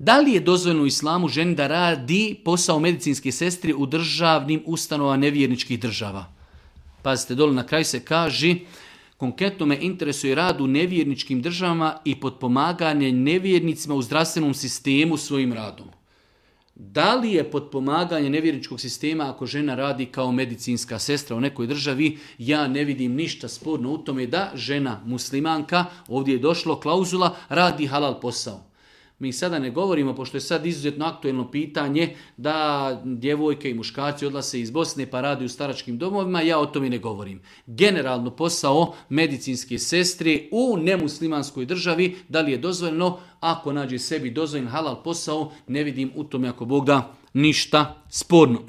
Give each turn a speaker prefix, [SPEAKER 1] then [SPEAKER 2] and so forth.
[SPEAKER 1] Da li je dozvoljeno u islamu ženi da radi posao medicinske sestri u državnim ustanovama nevjerničkih država? Pazite, dole na kraju se kaže, konkretno me interesuje rad u nevjerničkim državama i potpomaganje nevjernicima u zdravstvenom sistemu svojim radom. Da li je potpomaganje nevjerničkog sistema ako žena radi kao medicinska sestra u nekoj državi? Ja ne vidim ništa sporno u tome da žena muslimanka, ovdje je došlo klauzula, radi halal posao. Mi sada ne govorimo, pošto je sad izuzetno aktuelno pitanje, da djevojke i muškarci odlaze iz Bosne pa radi u staračkim domovima, ja o tome ne govorim. Generalno posao medicinske sestre u nemuslimanskoj državi, da li je dozvoljeno, ako nađe sebi dozvoljen halal posao, ne vidim u tome ako Bog da ništa sporno.